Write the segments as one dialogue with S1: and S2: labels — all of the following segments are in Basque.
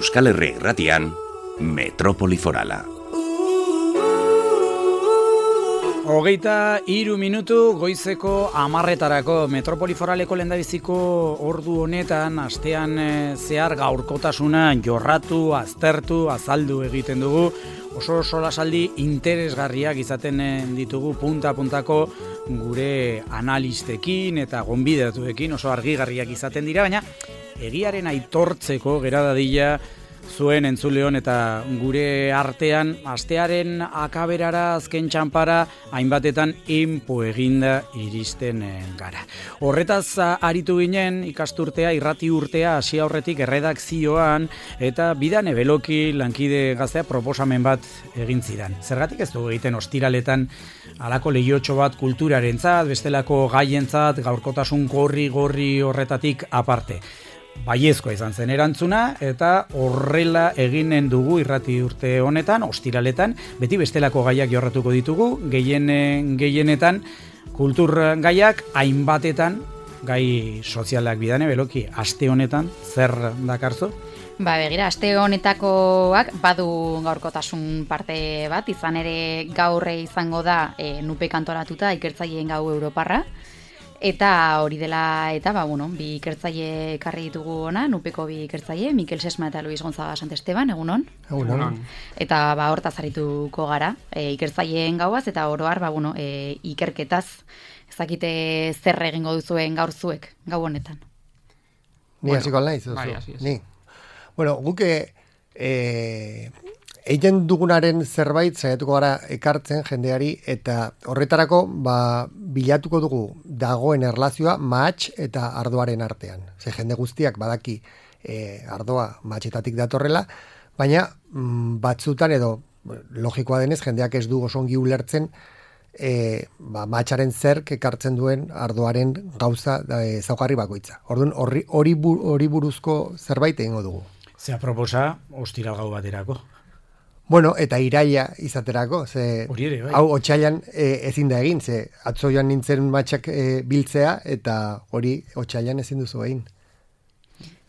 S1: Euskal Herri Irratian, Metropoli Forala.
S2: 23 minutu goizeko 10:00 Metropoli Foraleko lehendabiziko ordu honetan astean zehar gaurkotasuna jorratu, aztertu, azaldu egiten dugu. Oso solasaldi interesgarriak izaten ditugu punta-puntako gure analistekin eta gonbidatuekin, oso argigarriak izaten dira, baina egiaren aitortzeko gera dadila zuen entzuleon eta gure artean astearen akaberara azken txanpara hainbatetan inpo eginda iristen gara. Horretaz aritu ginen ikasturtea, irrati urtea hasi aurretik erredakzioan eta Bidane Beloki lankide gaztea proposamen bat egin zidan. Zergatik ez dugu egiten ostiraletan halako lehiotxo bat kulturarentzat, bestelako gaientzat, gaurkotasun gorri horretatik aparte. Baiezkoa izan zen erantzuna eta horrela eginen dugu irrati urte honetan, ostiraletan, beti bestelako gaiak jorratuko ditugu, gehienetan kultur gaiak, hainbatetan gai sozialak. Bidane Beloki, aste honetan zer dakarzu?
S3: Begira, aste honetakoak badu gaurkotasun parte bat, izan ere gaurre izango da nupe kantoratuta ikertzaileen gau Europarra. Eta hori dela, eta bi ikertzaile ekarri ditugu ona, nupeko bi ikertzaile, Mikel Sesma eta Luis Gonzaga Santesteban, egunon?
S4: Egunon.
S3: Eta hortaz harituko gara, ikertzaileen gauaz, eta oroar, ikerketaz, ezakite zer egingo duzuen gaur zuek, gau honetan.
S4: Ni hasiko naiz,
S5: Bai,
S4: ni. Bueno, guke egiten dugunaren zerbait saiatuko gara ekartzen jendeari eta horretarako bilatuko dugu dagoen erlazioa mahats eta ardoaren artean. Ze jende guztiak badaki ardoa mahatsetatik datorrela, baina batzutan edo logikoa denez jendeak ez du osongi ulertzen mahatsaren zerk ekartzen duen ardoaren gauza ezaugarri bakoitza. Orduan hori buruzko zerbait egingo dugu.
S2: Zea proposa ostiral gau baterako.
S4: Bueno, eta iraila izaterako, ze
S2: bai.
S4: Hau otsailan ezin da egin, ze atzo joan nintzen matxak biltzea, eta hori otsailan ezin duzu egin.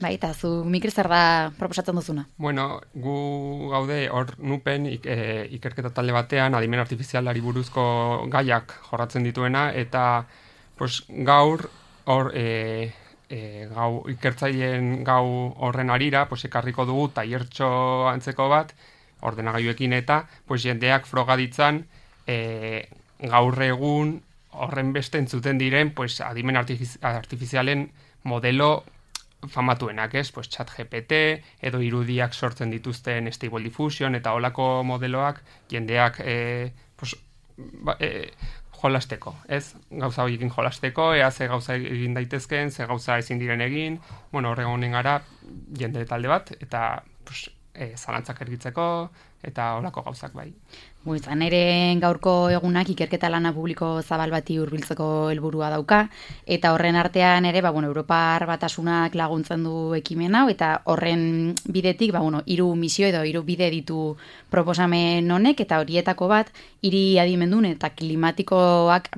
S3: Bai, eta zu Mikel zer da proposatzen duzuna?
S5: Bueno, gu gaude hor nupen ikerketa talde batean adimen artifizialari buruzko gaiak jorratzen dituena, eta gaur hor gau ikertzaileen gau horren arira, ekarriko dugu tailertxo antzeko bat, ordenagailuekin eta jendeak froga ditzan gaur egun horren beste entzuten diren adimen artifizialen modelo famatuenak, ChatGPT edo irudiak sortzen dituzten Stable Diffusion eta holako modeloak jendeak jolasteko, ez? Gauza horiekin jolasteko, ze gauza egin daitezken, ze gauza ezin diren egin, horregonen gara jende talde bat, eta zalantzak ergitzeko, eta holako gauzak bai.
S3: Izan ere gaurko egunak ikerketa lana publiko zabal bati hurbiltzeko helburua dauka, eta horren artean ere, Europar Batasunak laguntzen du ekimen hau, eta horren bidetik, 3 misio edo 3 bide ditu proposamen honek, eta horietako bat, hiri adimendun eta klimatikoak,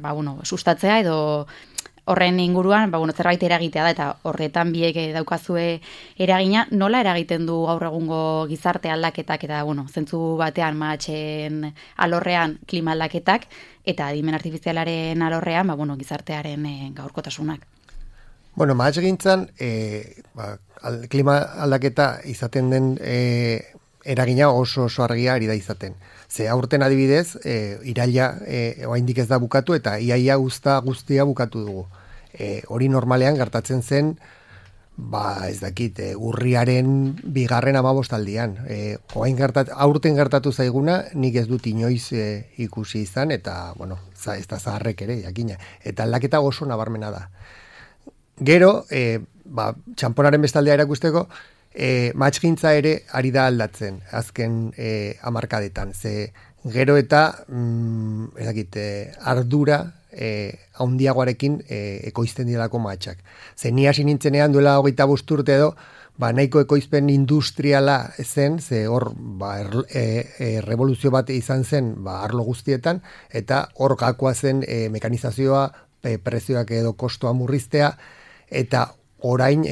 S3: sustatzea edo horren inguruan, zerbait eragitea da, eta horretan biek daukazue eragina, nola eragiten du gaur egungo gizarte aldaketak, eta, zentzu batean mahatsen alorrean klima aldaketak, eta adimen artifizialaren alorrean, gizartearen gaurkotasunak.
S4: Mahats gintzan, klima aldaketa izaten den eragina oso argia ari da izaten. Ze aurten adibidez, iraila oraindik ez da bukatu eta iaia guztia bukatu dugu. Hori normalean gertatzen zen, ez dakit, urriaren 2. 15. Aurten gertatu zaiguna, nik ez dut inoiz ikusi izan, eta, ez da zaharrek ere, jakina. Eta aldaketa oso nabarmena da. Gero, txamponaren bestaldea erakusteko, mahatgintza ere ari da aldatzen azken hamarkadetan. Ze gero eta ardura haundiagoarekin ekoizten direlako mahatsak. Ze ni hasi nintzenean duela 25 urte edo, nahiko ekoizpen industriala zen, ze hor revoluzio bat izan zen arlo guztietan, eta hor gakoa zen mekanizazioa, prezioak edo kostoa murriztea, eta orain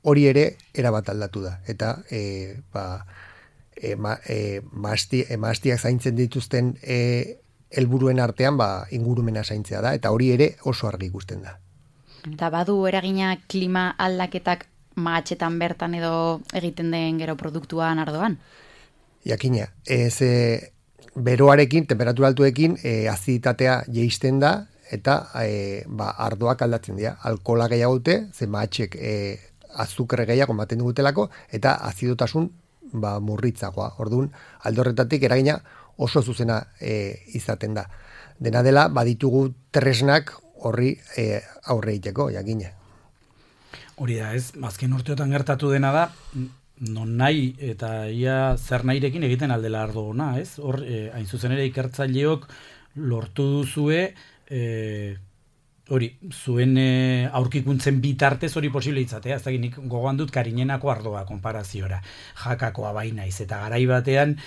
S4: hori ere erabat aldatu da. Eta mahastiak zaintzen dituzten helburuen artean ingurumena zaintzea da, eta hori ere oso argi ikusten da.
S3: Eta badu eragina klima aldaketak mahatxetan bertan edo egiten den gero produktuan ardoan?
S4: Jakina, beroarekin, temperatura altuekin, aziditatea jeisten da, eta ardoak aldatzen dira. Alkohola gehiago dute, ze mahatxek azukre gehiago ematen dutelako, eta azidotasun murritzagoa. Orduan, alde horretatik eragina oso zuzena izaten da. Dena dela, baditugu tresnak horri aurre egiteko, jakina.
S2: Hori da, ez, azken urteotan gertatu dena da, non nahi eta ia zer nahirekin egiten aldela ardo ona, ez? Hor, hain zuzen ere ikertzaileok lortu duzue, hori, zuen aurkikuntzen bitartez hori posible itzatea, ez dakit nik gogoan dut Karinenako ardoa konparaziora, Jakakoa bainaiz, eta garai batean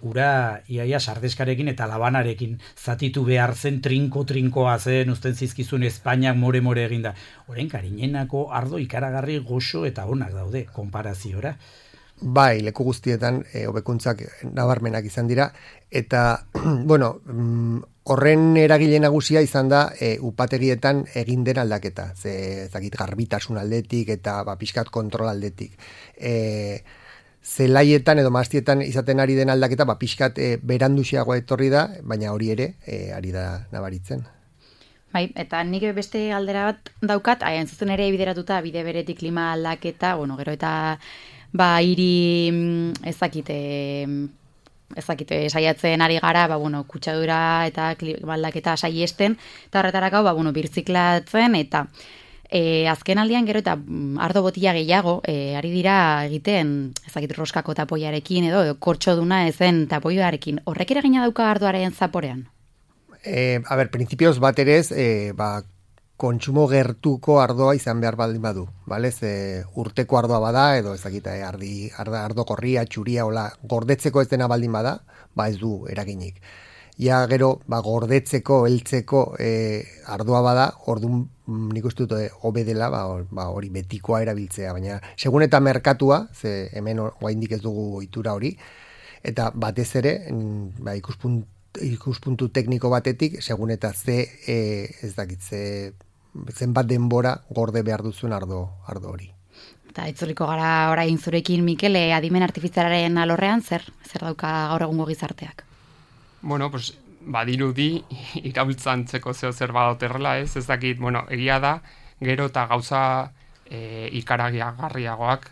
S2: ura iaia sardeskarekin eta labanarekin zatitu behar zen, trinkoa zen, uzten zizkizun Espainiak more eginda. Orain Karinenako ardo ikaragarri goxo eta onak daude konparaziora.
S4: Bai, leku guztietan hobekuntzak nabarmenak izan dira, eta, bueno, horren eragile nagusia izan da upategietan egin den aldaketa, ezakit garbitasun aldetik eta pixkat kontrol aldetik. Zelaietan edo mahastietan izaten ari den aldaketa pixkat beranduxiago etorri da, baina hori ere ari da nabaritzen.
S3: Bai, eta nik beste aldera bat daukat, hain zuzen ere bideratuta bide beretik klima aldaketa, bueno, gero eta hiri ezakite saiatzen ari gara, kutsadura eta klima aldaketa saiesten, eta horretarako, birziklatzen, eta azken aldian gero eta ardo botila gehiago ari dira egiten, ezakit roskako tapoiarekin edo kortxoduna ezen tapoiarekin. Horrek eragina dauka ardoaren zaporean?
S4: Printzipioz bat ere ez, kontsumo gertuko ardoa izan behar baldin badu, bale? Urteko ardoa bada, edo ezakita, ardo korria, txuria, gordetzeko ez dena baldin bada, ez du eraginik. Ja gero, gordetzeko, heltzeko ardoa bada, orduan nik uste dut hobe dela, hori betikoa erabiltzea, baina segun eta merkatua, ze hemen oraindik ez dugu ohitura hori, eta batez ere, ikuspuntu tekniko batetik, segun eta zenbat denbora gorde behar duzuen ardo hori.
S3: Eta itzuliko gara orain zurekin, Mikel, adimen artifizialaren alorrean, zer dauka gaur egungo gizarteak?
S5: Bueno, badirudi irabiltzantzeko zer badoterrela, ez dakit, egia da, gero eta gauza ikaragarriagoak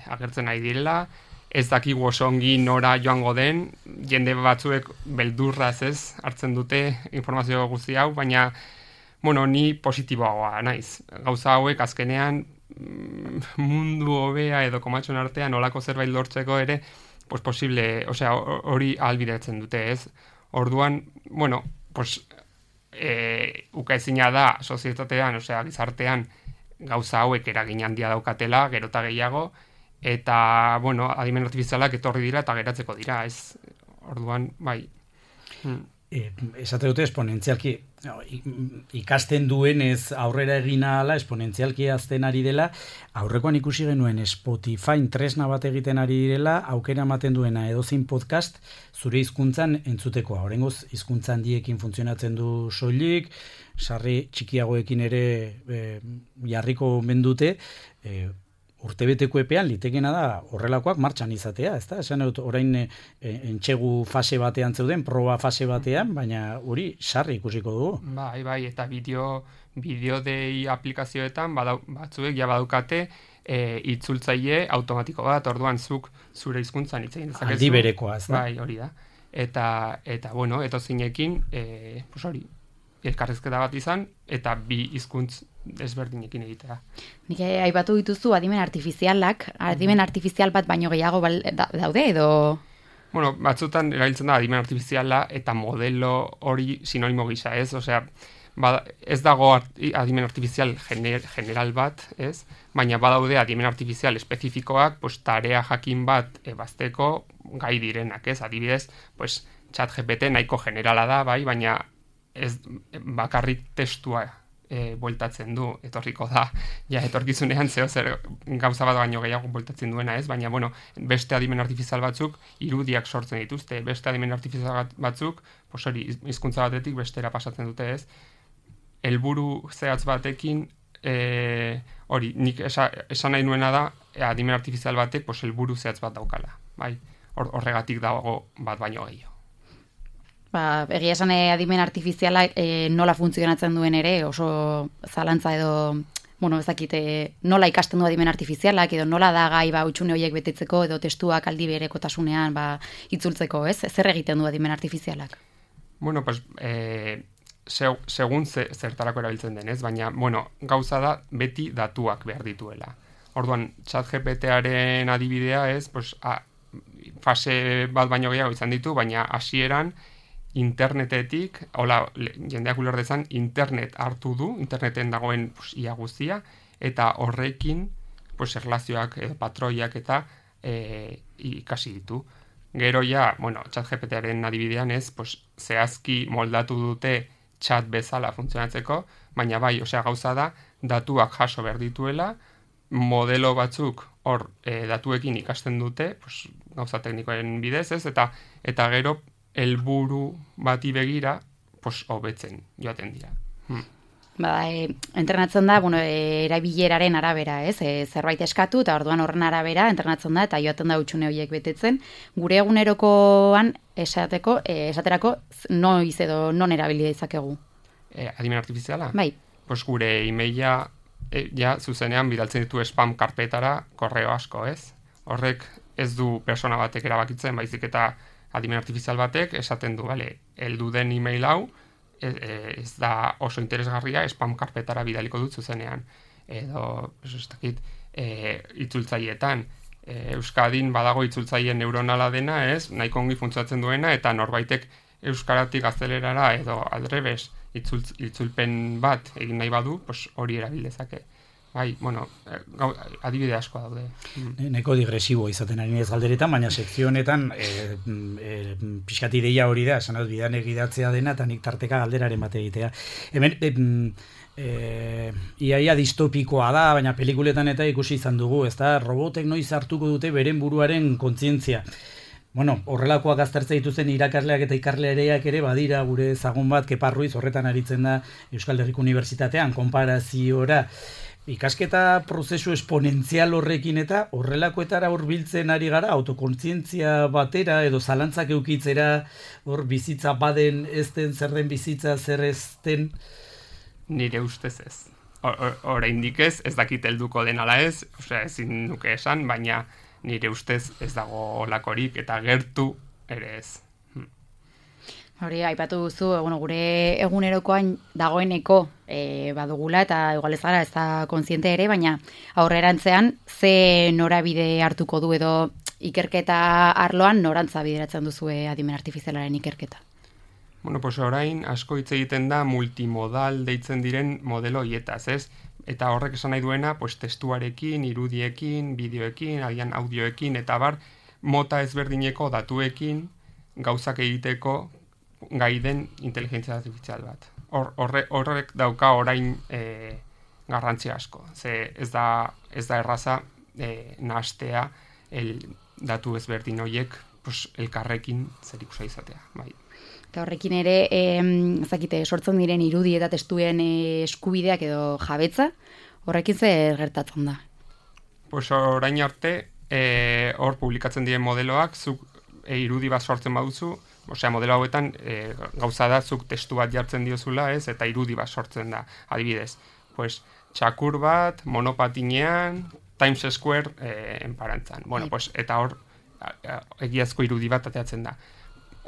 S5: agertzen ari direla, ez dakigu oso ongi nora joango den, jende batzuek beldurraz ez hartzen dute informazio guzti hau, baina ni positiboagoa naiz. Gauza hauek azkenean mundu hobea edo komatxon artean olako zerbait lortzeko ere posible, hori ahalbidetzen dute, ez? Orduan, ukaezina da sozietatean, gizartean gauza hauek eragin handia daukatela, gero eta gehiago, eta, adimen artifizialak etorri dira eta geratzeko dira, ez? Orduan, bai.
S2: Esate dute esponentzialki ikasten duenez aurrera egin ahala, esponentzialki azten ari dela, aurrekoan ikusi genuen Spotify tresna bat egiten ari direla, aukera ematen duena edozein podcast zure hizkuntzan entzutekoa. Oraingoz hizkuntza handiekin funtzionatzen du soilik, sarri txikiagoekin ere jarriko mendute, urtebeteko epean litekena da horrelakoak martxan izatea, ezta? Esan dut orain entxegu fase batean zeuden, proba fase batean, baina hori sarri ikusiko dugu.
S5: Bai, eta bideo dei aplikazioetan batzuek ja badukate itzultzaile automatiko bat, orduan zuk zure hizkuntzan hitz egin dezakezu.
S2: Aldi berekoa, ezta?
S5: Bai, hori da. Eta etozinekin, hori, elkarrezketa bat izan, eta bi hizkuntz desberdinekin egitea.
S3: Nik aipatu dituzu adimen artifizialak, adimen artifizial bat baino gehiago daude edo?
S5: Batzutan erabiltzen da adimen artifiziala eta modelo hori sinonimo gisa, ez? Ez dago adimen artifizial general bat, ez? Baina badaude adimen artifizial espezifikoak, tarea jakin bat ebazteko gai direnak, ez? Adibidez, ChatGPT nahiko generala da, bai, baina ez bakarrik testua bueltatzen du, etorriko da, ja etorkizunean zer gauza bat baino gehiago bueltatzen duena, ez? Baina, bueno, beste adimen artifizial batzuk irudiak sortzen dituzte, beste adimen artifizial batzuk, pues hori, hizkuntza batetik bestera pasatzen dute, ez? Helburu zehatz batekin, hori, nik esan nahi nuena da, adimen artifizial batek, pues helburu zehatz bat daukala, bai? Horregatik dago bat baino gehiago.
S3: Egia esan adimen artifiziala nola funtzionatzen duen ere, oso zalantza edo, ezakit, nola ikasten du adimen artifizialak, edo nola da gai hutsune horiek betetzeko, edo testuak aldi berekotasunean itzultzeko, ez? Zer egiten du adimen artifizialak?
S5: Bueno, pues, segun zertarako erabiltzen den, ez? Baina, gauza da, beti datuak behar dituela. Orduan, ChatGPT-aren adibidea, ez? Pues, fase bat baino gehiago izan ditu, baina hasieran internetetik, jendeak uler dezan, internet hartu du, interneten dagoen ia guztia, eta horrekin erlazioak, patroiak eta ikasi ditu. Gero ja, ChatGPT-aren adibidean ez, zehazki moldatu dute chat bezala funtzionatzeko, baina bai, gauza da, datuak jaso behar dituela, modelo batzuk hor datuekin ikasten dute, gauza teknikoen bidez ez, eta gero helburu bati begira, hobetzen joaten dira.
S3: Entrenatzen da, erabileraren arabera, ez? Zerbait eskatu, eta orduan horren arabera entrenatzen da, eta joaten da hutsune horiek betetzen. Gure egunerokoan esaterako noiz edo non erabilia izakegu?
S5: Adimen artifiziala?
S3: Bai.
S5: Gure emaila zuzenean bidaltzen ditu spam karpetara korreo asko, ez? Horrek ez du persona batek erabakitzen, baizik eta adimen artifizial batek esaten du, heldu den email hau, ez da oso interesgarria, spam karpetara bidaliko dut zuzenean. Edo, itzultzaileetan. Euskadin badago itzultzaile neuronala dena, ez, nahiko ongi funtsatzen duena, eta norbaitek euskaratik gaztelerara edo aldrebes itzulpen bat egin nahi badu, hori erabildezake. Bai, adibide asko daude.
S2: Neko digresibo izaten ari nez galderetan, baina sekzio honetan pixkat ideia hori da, esan bidan egidatzea dena, eta nik tarteka galderaren bat egitea. Hemen, iaia distopikoa da, baina pelikuletan eta ikusi izan dugu, ez da, robotek noiz hartuko dute beren buruaren kontzientzia. Horrelakoak aztertza dituzten irakasleak eta ikarleareak ere badira gure ezagun bat, Kepa Ruiz horretan aritzen da Euskal Herriko Unibertsitatean, konparaziora, ikasketa prozesu esponentzial horrekin eta horrelakoetara hurbiltzen ari gara, autokontzientzia batera edo zalantzak eukitzera, hor bizitza baden ezten, zer den bizitza, zer ezten?
S5: Nire ustez ez. Oraindik ez dakit helduko den ala ez, ezin nuke esan, baina nire ustez ez dago olakorik eta gertu ere ez.
S3: Hori, aipatu duzu, gure egunerokoan dagoeneko badugula, eta igual ez gara, ez da kontziente ere, baina aurrerantzean ze norabide hartuko du edo ikerketa arloan norantza bideratzen duzu adimen artifizialaren ikerketa?
S5: Orain asko hitz egiten da multimodal deitzen diren modelo hietaz, ez? Eta horrek esan nahi duena, testuarekin, irudiekin, bideoekin, agian audioekin, eta mota ezberdineko datuekin gauzak egiteko gai den inteligentzia artifizial bat. Horrek dauka orain garrantzia asko. Ze ez da erraza nahastea datu ezberdin horiek elkarrekin zerikusia izatea. Bai.
S3: Eta horrekin ere, sortzen diren irudi eta testuen eskubideak edo jabetza, horrekin zer gertatzen da?
S5: Orain arte, hor publikatzen diren modeloak, zuk irudi bat sortzen baduzu, modelo hauetan gauza da zuk testu bat jartzen diozula, ez, eta irudi bat sortzen da, adibidez. Txakur bat, monopatinean, Times Square enparantzan. Eta hor, egiazko irudi bat ateatzen da.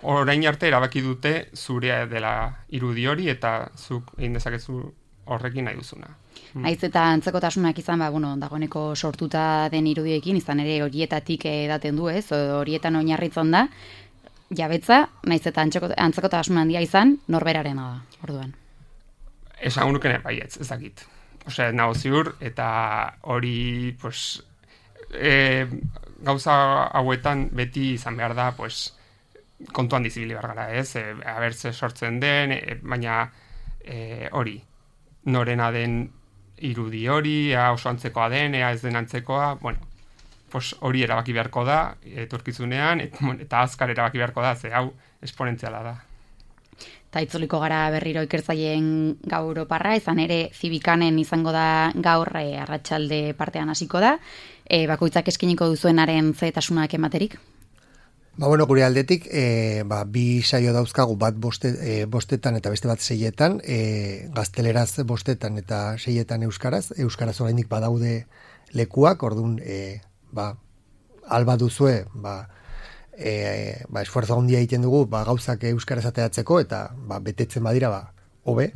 S5: Orain arte erabaki dute zurea dela irudi hori, eta zuk egin dezakezu horrekin nahi duzuna.
S3: Naiz eta antzekotasunak izan, dagoeneko sortuta den irudiekin, izan ere horietatik edaten du, ez, horietan oinarritzen da, jabetza, naiz eta antzekotasun handia izan, norberarena da, orduan.
S5: Esan nuken baietz, ez dakit. Nago ziur, eta hori, gauza hauetan beti izan behar da, kontuan dizibili behar gara, ez? Aber ze sortzen den, baina hori. norena den irudi hori, oso antzekoa den, ez den antzekoa, bueno, pues hori erabaki beharko da, etorkizunean, eta azkar erabaki beharko da, ze hau esponentziala da.
S3: Eta itzuliko gara berriro ikertzaileen gau Europarra, izan ere Zibikanen izango da gaur arratsalde partean hasiko da, bakoitzak eskiniko duzuenaren zehetasunak ematerik?
S4: Bueno, gure aldetik, bi saio dauzkagu, bat bostetan eta beste bat 6etan, gazteleraz bostetan eta 6etan euskaraz oraindik badaude lekuak, orduan, alba duzue, esfuerzo handia egiten dugu, gauzak euskaraz ateratzeko, eta betetzen badira, hobe.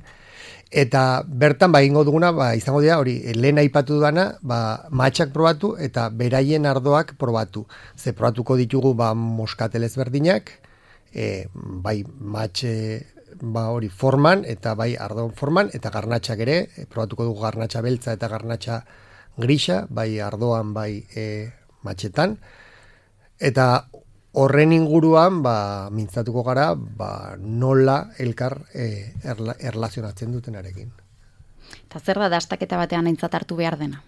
S4: Eta bertan, egingo duguna, izango dira, hori, lehen aipatu dudana, matxak probatu eta beraien ardoak probatu. Ze probatuko ditugu, moskatelez berdinak, bai matxe, hori forman, eta bai ardoan forman, eta garnatxak ere, probatuko dugu garnatxa beltza eta garnatxa grisa, bai ardoan, bai matxetan. Eta horren inguruan, mintzatuko gara, nola elkar erlazionatzen dutenarekin.
S3: Eta zer da dastaketa batean aintzat hartu behar dena?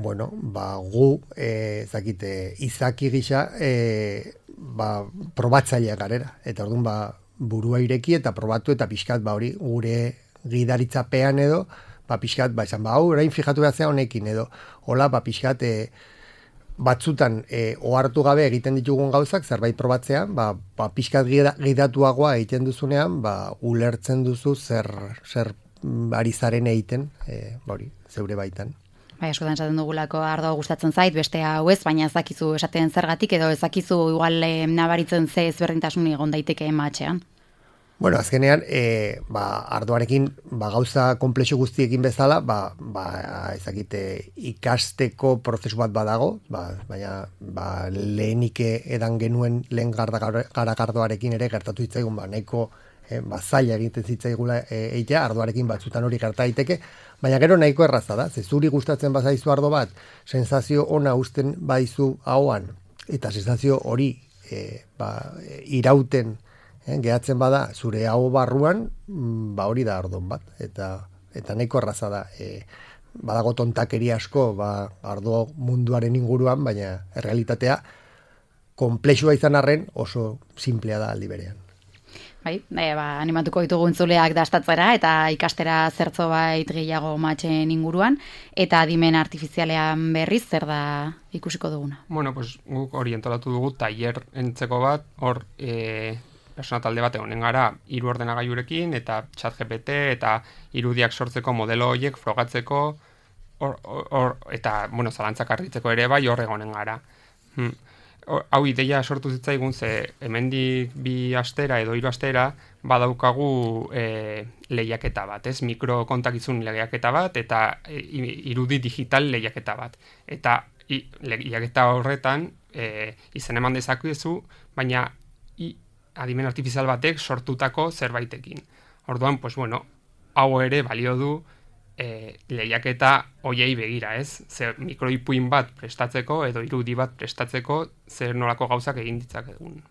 S4: Gu, izaki gisa, probatzailea garera. Eta orduan, burua ireki eta probatu eta pixkat, hori, gure gidaritzapean edo, pixkat, esan, orain fijatu behatzea honekin edo, hola, pixkat, batzutan ohartu gabe egiten ditugun gauzak, zerbait probatzea, pixkat gidatuagoa egiten duzunean, ulertzen duzu zer ari zaren egiten, zeure baitan.
S3: Askotan esaten dugulako ardoa gustatzen zait, beste hau ez, baina ezakizu esaten zergatik, edo ezakizu igual nabaritzen ze ezberdintasun egon daiteke matxean.
S4: Bueno, azkenean, ardoarekin, gauza komplexu guztiekin bezala, ezakite ikasteko prozesu bat badago, baina lehenik edan genuen lehen garagardoarekin ere gertatu zitzaigun, nahiko zaila egiten zitzaigula eitea, ardoarekin batzutan hori gerta daiteke, baina gero nahiko erraza da, ze zuri gustatzen bazaizu ardo bat, sensazio ona uzten baizu ahoan, eta sensazio hori irauten gehatzen bada zure hau barruan, hori da ardon bat, eta nahiko erraza da. Badago tontakeri asko, ardo munduaren inguruan, baina errealitatea komplexua izan arren oso simplea da aldi berean.
S3: Animatuko ditugu entzuleak dastatzera eta ikastera zertzo bait gehiago matxen inguruan, eta adimen artifizialean berriz zer da ikusiko duguna?
S5: Bueno, pues guk orientalatu dugu tailer entzeko bat, hor persona talde bate honen gara 3 ordenagailurekin eta ChatGPT eta irudiak sortzeko modelo horiek frogatzeko eta zalantzak argitzeko ere bai hor egonen gara. Hau ideia sortu zitzaigun ze hemendik 2 astera edo 3 astera badaukagu lehiaketa bat, mikrokontakizun lehiaketa bat eta irudi digital lehiaketa bat. Eta lehiaketa horretan izen eman dezakezu, baina adimen artifizial batek sortutako zerbaitekin. Orduan, hau ere balio du lehiaketa hoiei begira, ez? Zer mikroipuin bat prestatzeko edo irudi bat prestatzeko zer nolako gauzak egin ditzakegun.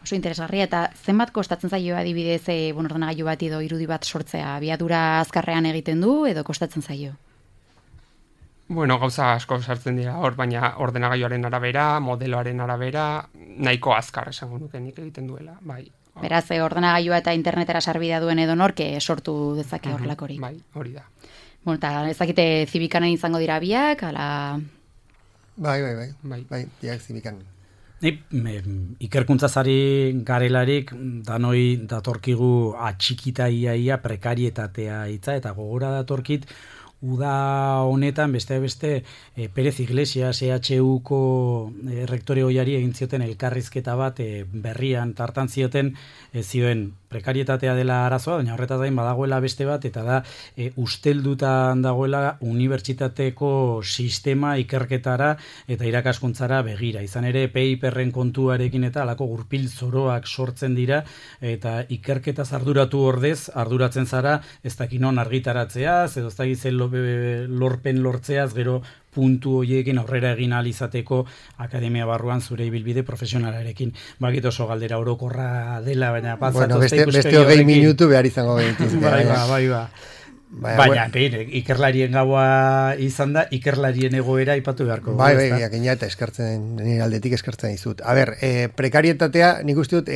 S3: Oso interesgarria, eta zenbat kostatzen zaio adibidez ordenagailu bat edo irudi bat sortzea? Abiadura azkarrean egiten du edo kostatzen zaio?
S5: Gauza asko sartzen dira hor, baina ordenagailuaren arabera, modeloaren arabera, nahiko azkar esango nuke nik egiten duela, bai.
S3: Beraz, ordenagailua eta internetera sarbidea duen edo nork sortu dezake horrelakorik.
S5: Bai, hori da.
S3: Eta ezakite Zibikanen izango dira biak, ala...
S4: Bai, biak Zibikanen.
S2: Ikerkuntzazari garelarik danoi datorkigu atxikita iaia prekarietatea hitza, eta gogora datorkit uda honetan beste Pérez Iglesias EHUko rektore ohiari egin zioten elkarrizketa bat berrian tartan zioten zioen prekarietatea dela arazoa, baina horretaz gain badagoela beste bat, eta da usteldutan dagoela unibertsitateko sistema ikerketara eta irakaskuntzara begira. Izan ere PIPren kontuarekin eta alako gurpil zoroak sortzen dira, eta ikerketaz arduratu ordez arduratzen zara ez dakinon argitaratzeaz, edo ez dakizen lorpen lortzeaz, gero puntu horiekin aurrera egin ahal izateko akademia barruan zure ibilbide profesionalarekin. Bakit oso galdera orokorra dela, baina
S4: beste 20 minutu behar izango gehituzke.
S2: Bai. Baina, ikerlarien gaua izan da, ikerlarien egoera ipatu beharko.
S4: Bai, jakina eta eskertzen, nire aldetik eskertzen dizut. A ber, prekarietatea, nik uste dut,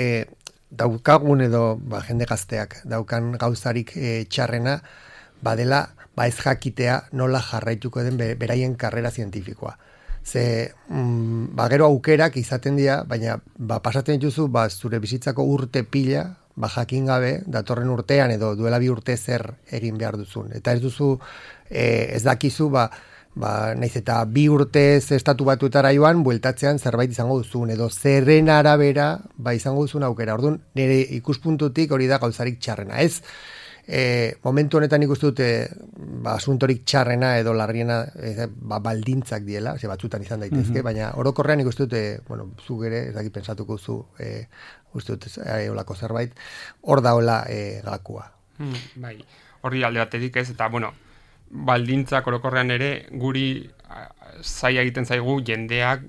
S4: daukagun edo jende gazteak daukan gauzarik txarrena, badela, ez jakitea nola jarraituko den beraien karrera zientifikoa. Ze, gero aukerak izaten dira, baina pasatzen dituzu, zure bizitzako urte pila, jakin gabe, datorren urtean edo duela 2 urte zer egin behar duzun. Eta ez duzu, ez dakizu, nahiz eta 2 urte estatu batuetara joan, bueltatzean zerbait izango duzun, edo zerren arabera, izango duzun aukera. Orduan, nire ikuspuntutik hori da gauzarik txarrena. Ez, momentu honetan ikustu dute asuntorik txarrena edo larriena baldintzak diela, batzutan izan daitezke, baina orokorrean ikustu dute, zuk ere, ez dakit pensatuko zu, uste dut olako zerbait, hor daola gakua.
S5: Bai, hori alde batetik ez, eta baldintzak orokorrean ere guri zaila egiten zaigu jendeak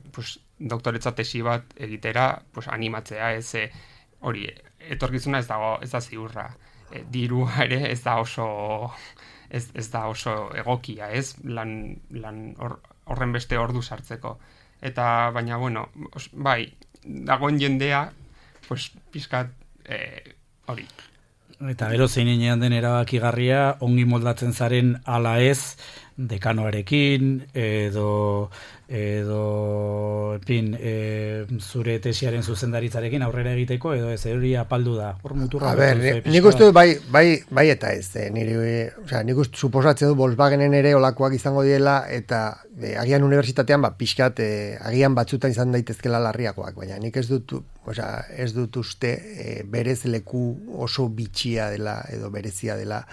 S5: doktoretza tesi bat egitera animatzea, ez hori etorkizuna ez da ziurra. Dirua ere ez da oso egokia, ez? Lan horren beste ordu sartzeko. Eta baina bai, dagoen jendea pizkat hori.
S2: Eta gero zeinean den erabakigarria ongi moldatzen zaren ala ez dekanoarekin edo zure tesiaren zuzendaritzarekin aurrera egiteko edo ez hori apaldu da. Hor muturra.
S4: Nik uste bai eta ez. Nik uste suposatzen du Volkswagenen ere olakoak izango diela eta agian unibertsitatean pixkat agian batzutan izan daitezkela larriakoak, baina nik ez dut uste berez leku oso bitxia dela edo berezia dela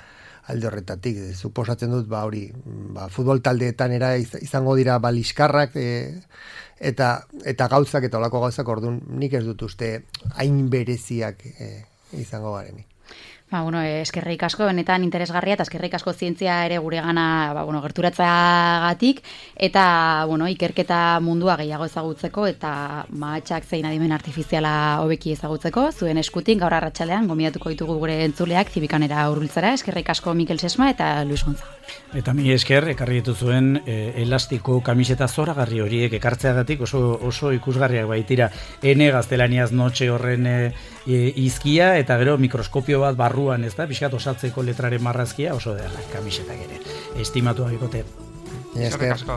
S4: alde horretatik. Suposatzen dut hori futbol taldeetan izango dira liskarrak eta gauzak eta olako gauzak, orduan nik ez dut uste hain bereziak izango garenik.
S3: Eskerrik asko, benetan interesgarria, eta eskerrik asko zientzia ere gure gana gerturatzagatik, eta ikerketa mundua gehiago ezagutzeko, eta mahatsak zein adimen artifiziala hobeki ezagutzeko, zuen eskutik gaur arratsaldean gonbidatuko ditugu gure entzuleak Zibikanera hurbiltzera. Eskerrik asko Mikel Sesma eta Luis Gonzaga.
S2: Eta mi esker, ekarri dituzuen elastiko kamiseta zoragarri horiek ekartzeagatik oso ikusgarriak baitira. Ene gaztelaniaz notxe horren izkia, eta gero mikroskopio bat barruan, ez da, pixkat osatzeko letraren marrazkia, oso da kamisetak ere. Estimatu abikote.
S5: Eskerrik asko.